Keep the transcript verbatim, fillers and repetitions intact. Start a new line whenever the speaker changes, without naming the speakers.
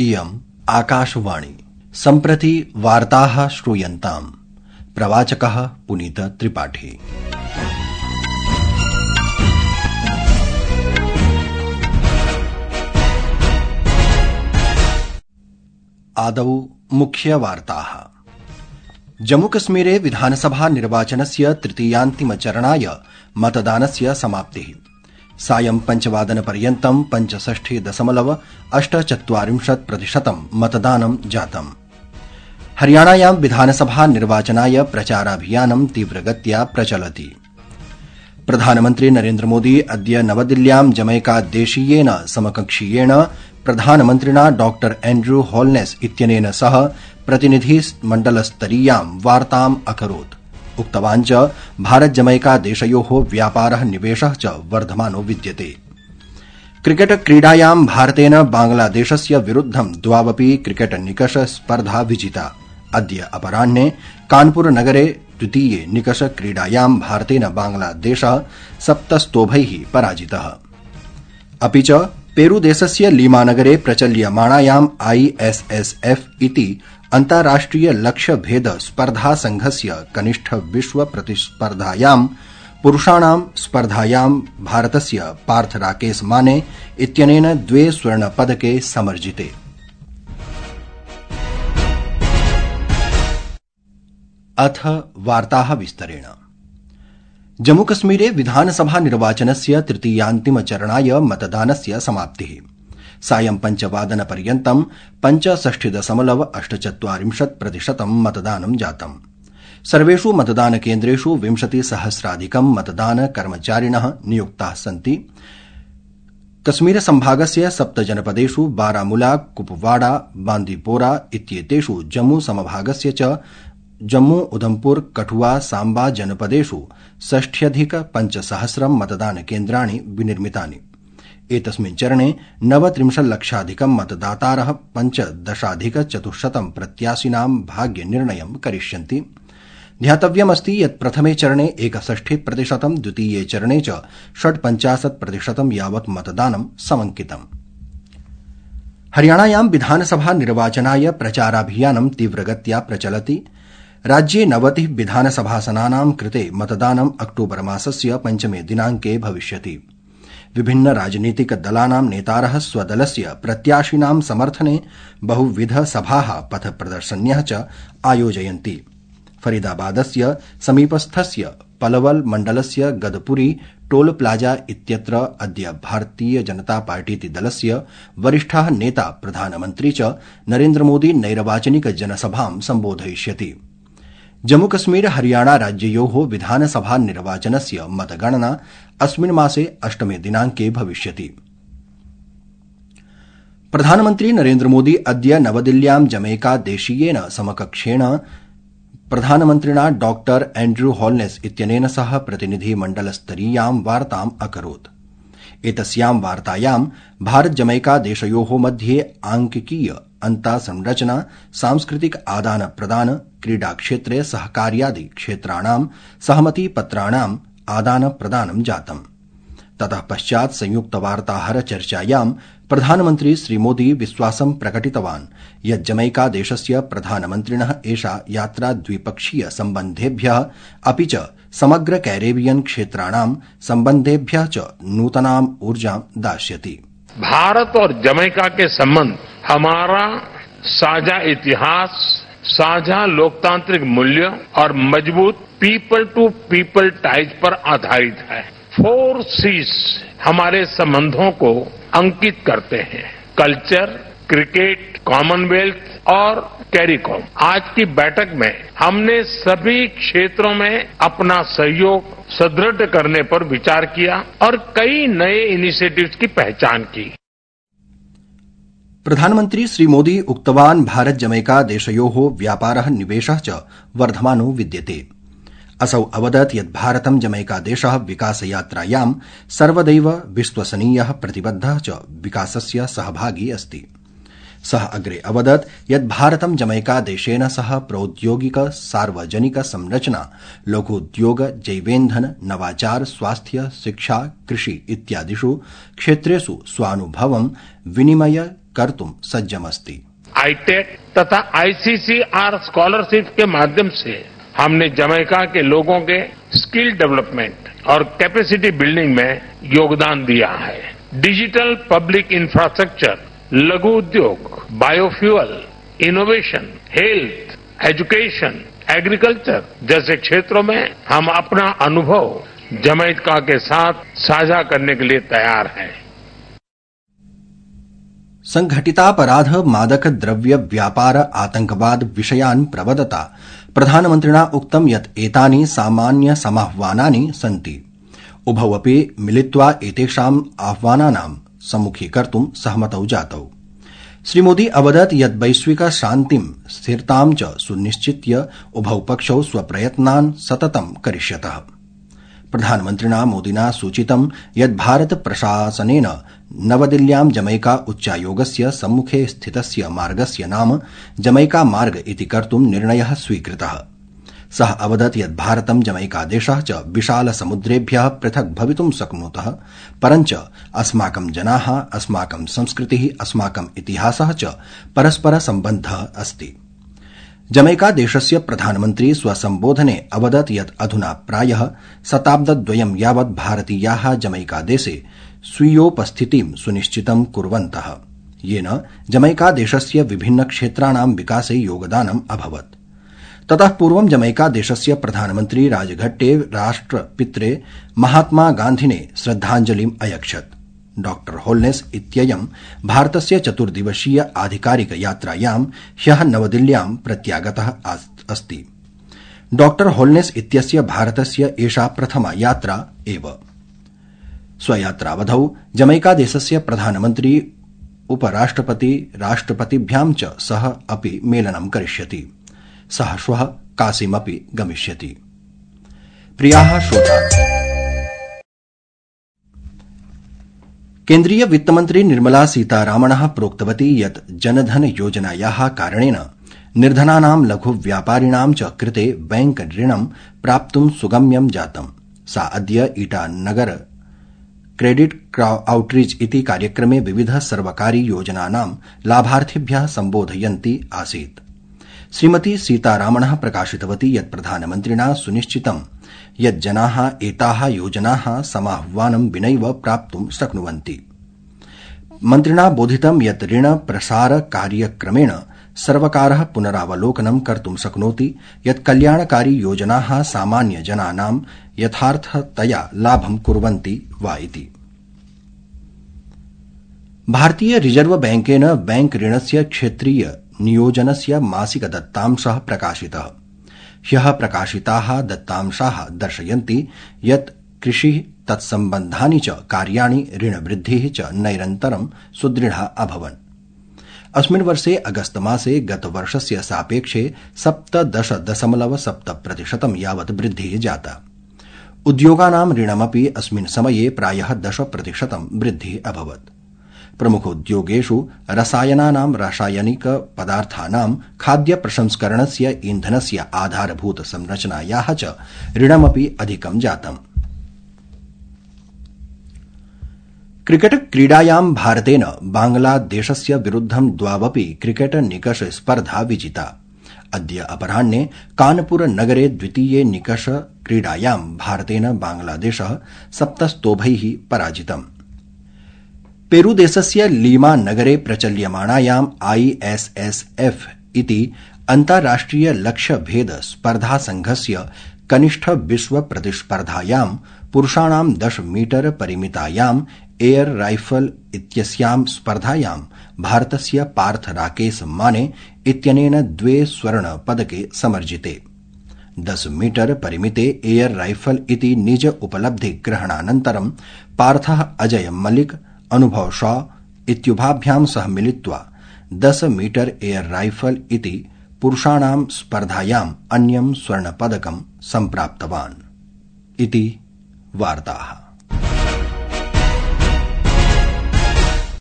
इयम् आकाशवाणी। सम्प्रति वार्ताः श्रूयन्ताम्। प्रवाचकः पुनीत त्रिपाठी। आदौ मुख्यवार्ताः। जम्मूकश्मीरे विधानसभा निर्वाचनस्य तृतीयान्तिमचरणाय मतदानस्य समाप्तिः। सायं पञ्चवादनपर्यन्तं पञ्चषष्टि दशमलव अष्ट चत्वारिंशत् प्रतिशतं मतदानं जातम्। हरियाणायां विधानसभा निर्वाचनाय प्रचाराभियानं तीव्रगत्या प्रचलति। प्रधानमन्त्री नरेन्द्रमोदी अद्य नवदिल्ल्यां जमैका देशीयेन समकक्षीयेण प्रधानमन्त्रिणा डॉ एन्ड्रू होलनेस इत्यनेन सह प्रतिनिधिमण्डलस्तरीयां वार्ताम् अकरोत्। उक्तवान् च भारत जमैका देशयोः व्यापारः निवेशः च वर्धमानो विद्यते। क्रिकेट क्रीडायां भारतेन बांग्लादेशस्य विरुद्धं द्वावपि क्रिकेट निकष स्पर्धा विजिता। अद्य अपराह्ने कानपुर नगरे द्वितीये निकष क्रीडायां भारतेन बांग्लादेशः सप्तस्तोभैः पराजितः। अपि च पेरूदेशस्य लीमानगरे प्रचल्यमाणायाम् आईएसएसएफ इति अन्ताराष्ट्रिय लक्ष्यभेद स्पर्धा संघस्य कनिष्ठ विश्व प्रतिस्पर्धायां पुरुषाणां स्पर्धायां भारतस्य पार्थ राकेश माने इत्यनेन द्वे स्वर्णपदके समर्जिते। अथ वार्ताः विस्तरेण। जम्मूकश्मीरे विधानसभा निर्वाचनस्य तृतीयान्तिमचरणाय मतदानस्य समाप्तिः। सायं पञ्चवादनपर्यन्तं पञ्चषष्टि दशमलव अष्ट चत्वारिंशत् प्रतिशतं मतदानं जातम्। सर्वेषु मतदानकेन्द्रेषु विंशतिसहस्राधिकं मतदानकर्मचारिणः नियुक्ताः सन्ति। कश्मीर संभागस्य सप्तजनपदेषु बारामुला, कुपवाड़ा, बांदीपोरा इत्येतेषु जम्मू समभागस्य च जम्मू, उधमपुर, कठुआ, सांबा जनपदेषु षष्ठ्यधिक पञ्चसहस्रं मतदानकेन्द्राणि विनिर्मितानि। एतस्मिन् चरणे नवत्रिंशल्लक्षाधिकं मतदातारः पञ्चदशाधिक चतुश्शतं प्रत्याशिनां भाग्यनिर्णयं करिष्यन्ति। ध्यातव्यमस्ति यत् प्रथमे चरणे एकषष्टि प्रतिशतं, द्वितीये चरणे च षट्पञ्चाशत् प्रतिशतं यावत् मतदानं समंकितम्। हरियाणायां विधानसभा निर्वाचनाय प्रचाराभियानं तीव्रगत्या प्रचलति। राज्ये नवतिः विधानसभासनानां कृते मतदानं अक्टोबर मासस्य पञ्चमे दिनाङ्के भविष्यति। विभिन्न राजनीतिक दलानां नेतारः स्वदलस्य प्रत्याशिनां समर्थने बहुविध सभाः, पथ प्रदर्शन्यः च आयोजयन्ति। फरीदाबादस्य समीपस्थस्य पलवल मण्डलस्य गदपुरी टोल प्लाजा इत्यत्र अद्य भारतीय जनता पार्टीति दलस्य वरिष्ठः नेता प्रधानमन्त्री च नरेन्द्रमोदी नैर्वाचनिक जनसभां सम्बोधयिष्यति। जम्मूकश्मीर हरियाणा राज्ययोः विधानसभा निर्वाचनस्य मतगणना अस्मिन् मासे अष्टमे दिनाङ्के भविष्यति। प्रधानमन्त्री नरेन्द्रमोदी अद्य नवदिल्ल्यां जमैका देशीयेन समकक्षेण प्रधानमन्त्रिणा डॉ एन्ड्रू होलनेस इत्यनेन सह प्रतिनिधिमण्डलस्तरीयां वार्ताम् अकरोत्। एतस्यां वार्तायां भारत जमैका देशयोः मध्ये आंकिकीय अन्तासंरचना, सांस्कृतिक आदान प्रदान, क्रीडाक्षेत्रे सहकार्यादि क्षेत्राणां सहमतिपत्राणाम् आदान प्रदानं जातम्। ततः पश्चात् संयुक्त वार्ताहर चर्चायां प्रधानमन्त्री श्रीमोदी विश्वासं प्रकटितवान् यत् जमैका देशस्य प्रधानमन्त्रिणः एषा यात्रा द्विपक्षीय सम्बन्धेभ्यः अपि च समग्र कैरेबियन क्षेत्राणां सम्बन्धेभ्यः च नूतनां ऊर्जां दास्यति।
भारत और जमैका के संबंध हमारा साझा इतिहास, साझा लोकतांत्रिक मूल्य और मजबूत पीपल टू पीपल टाइज पर आधारित है। फोर सीज हमारे संबंधों को अंकित करते हैं: कल्चर, क्रिकेट, कॉमनवेल्थ और कैरिकॉम। आज की बैठक में हमने सभी क्षेत्रों में अपना सहयोग सुदृढ़ करने पर विचार किया और कई नए इनिशिएटिव्स की पहचान की।
प्रधानमन्त्री श्रीमोदी उक्तवान् भारत जमैका देशयोः व्यापारः निवेशः च वर्धमानो विद्यते। असौ अवदत् यत् भारतं जमैका देशः विकासयात्रायां सर्वदैव विश्वसनीयः, प्रतिबद्धः च विकासस्य सहभागी अस्ति। सः अग्रे अवदत् यत् भारतं जमैका देशेन सह प्रौद्योगिक, सार्वजनिक संरचना, लघुद्योग, जैवेन्धन, नवाचार, स्वास्थ्य, शिक्षा, कृषि इत्यादिषु क्षेत्रेषु स्वानुभवं विनिमय कर्तुं सज्जमस्ति।
आईटेक तथा आईसीसीआर स्कॉलरशिप के माध्यम से हमने जमैका के लोगों के स्किल डेवलपमेंट और कैपेसिटी बिल्डिंग में योगदान दिया है। डिजिटल पब्लिक इंफ्रास्ट्रक्चर, लघु उद्योग, biofuel, innovation, health, education, agriculture जैसे क्षेत्रों में हम अपना अनुभव जमैका के साथ साझा करने के लिए तैयार हैं।
संघटितापराध, मादक द्रव्य व्यापार, आतंकवाद विषयान् प्रवदता प्रधानमन्त्रिणा उक्तं यत् एतानि सामान्य समाह्वानानि सन्ति। उभौ अपि मिलित्वा एतेषाम् आह्वानानां सम्मुखीकर्तुं सहमतौ जातौ। श्रीमोदी अवदत् यत् वैश्विक शान्तिं स्थिरतां च सुनिश्चित्य उभौ पक्षौ स्वप्रयत्नान् सततं करिष्यतः। प्रधानमन्त्रिणा मोदिना सूचितं यत् भारत प्रशासनेन नवदिल्ल्यां जमैका उच्चायोगस्य सम्मुखे स्थितस्य मार्गस्य नाम जमैका मार्ग इति कर्तुं निर्णयः स्वीकृतः। सः अवदत् यत् भारतं जमैकादेशः च विशालसमुद्रेभ्यः पृथक् भवितुं शक्नुतः, परञ्च अस्माकं जनाः, अस्माकं संस्कृतिः, अस्माकम् इतिहासः च परस्परसम्बद्धः अस्ति। जमैकादेशस्य प्रधानमन्त्री स्वसम्बोधने अवदत् यत् अधुना प्रायः शताब्दद्वयं यावत् भारतीयाः जमैकादेशे स्वीयोपस्थितिं सुनिश्चितं कुर्वन्तः, येन जमैकादेशस्य विभिन्नक्षेत्राणां विकासे योगदानम् अभवत्। ततः पूर्वं जमैकादेशस्य प्रधानमन्त्री राजघट्टे राष्ट्रपित्रे महात्मा गान्धिने श्रद्धाञ्जलिम् अयच्छत्। डॉक्टर होल्नेस इत्ययं भारतस्य चतुर्दिवसीय आधिकारिक यात्रायां ह्यः नवदिल्ल्यां प्रत्यागतः अस्ति। डॉक्टर होल्नेस इत्यस्य भारतस्य एषा प्रथमा यात्रा एव। स्वयात्रावधौ जमैकादेशस्य प्रधानमन्त्री उपराष्ट्रपति राष्ट्रपतिभ्यां च सह अपि मेलनं करिष्यति। सः श्वः काशीमपि गमिष्यति। प्रियाः श्रोतारः, केन्द्रीय वित्तमन्त्री निर्मला सीतारामणः प्रोक्तवती यत् जनधन योजनायाः कारणेन निर्धनानां लघुव्यापारिणां च कृते बैंक ऋणं प्राप्तुं सुगम्यं जातम्। सा अद्य ईटानगर क्रेडिट आउटरीच इति कार्यक्रमे विविध सर्वकारी योजनानां लाभार्थिभ्यः सम्बोधयन्ती आसीत्। श्रीमती सीतारामणः प्रकाशितवती यत् प्रधानमन्त्रिणा सुनिश्चितं यत् जनाः एताः योजनाः समाह्वानं विनैव प्राप्तुं शक्नुवन्ति। मन्त्रिणा बोधितं यत् ऋण प्रसार कार्यक्रमेण सर्वकारः पुनरावलोकनं कर्तुं शक्नोति यत् कल्याणकारी योजनाः सामान्य जनानां यथार्थतया लाभं कुर्वन्ति वा इति। भारतीय रिजर्व बैंकेन बैंक ऋणस्य क्षेत्रीय नियोजनस्य मासिक दत्तांशः प्रकाशितः। ह्यः प्रकाशिताः दत्तांशाः दर्शयन्ति यत् कृषि तत्सम्बन्धानि च कार्याणि ऋणवृद्धिः च नैरन्तरं सुदृढा अभवन्। अस्मिन् वर्षे अगस्त मासे गतवर्षस्य सापेक्षे सप्तदश दशमलव सप्त प्रतिशतं यावत् वृद्धिः जाता। उद्योगानां ऋणमपि अस्मिन् समये प्रायः दश प्रतिशतं वृद्धिः अभवत्। प्रमुखोद्योगेषु रसायनानां, रासायनिक पदार्थानां, खाद्य प्रसंस्करणस्य, ईंधनस्य आधारभूत संरचनायाः च ऋणमपि अधिकं जातम्। क्रिकेट क्रीडायां भारतेन बांग्लादेशस्य विरुद्धं द्वावपि क्रिकेट निकष स्पर्धा विजिता। अद्य अपराह्ने कानपुर नगरे द्वितीये निकष क्रीडायां भारतेन बांग्लादेशः सप्तस्तोभैः पराजितम्। पेरूदेशस्य लीमा नगरे प्रचल्यमाणायां आईएसएसएफ इति अन्ताराष्ट्रिय लक्ष्यभेद स्पर्धा संघस्य कनिष्ठ विश्व प्रतिस्पर्धायां पुरुषाणां दश मीटर परिमितायां एयर राइफल इत्यस्यां स्पर्धायां भारतस्य पार्थ राकेश माने इत्यनेन द्वे स्वर्ण पदके समर्जिते। दश मीटर परिमिते एयर राइफल इति निज उपलब्धि ग्रहणानन्तरं पार्थः अजय मलिक, अनुभव शॉ इत्युभाभ्यां सह मिलित्वा दश मीटर एयर राइफल इति पुरुषाणां स्पर्धायाम् अन्यं स्वर्णपदकं सम्प्राप्तवान् इति वार्ताः।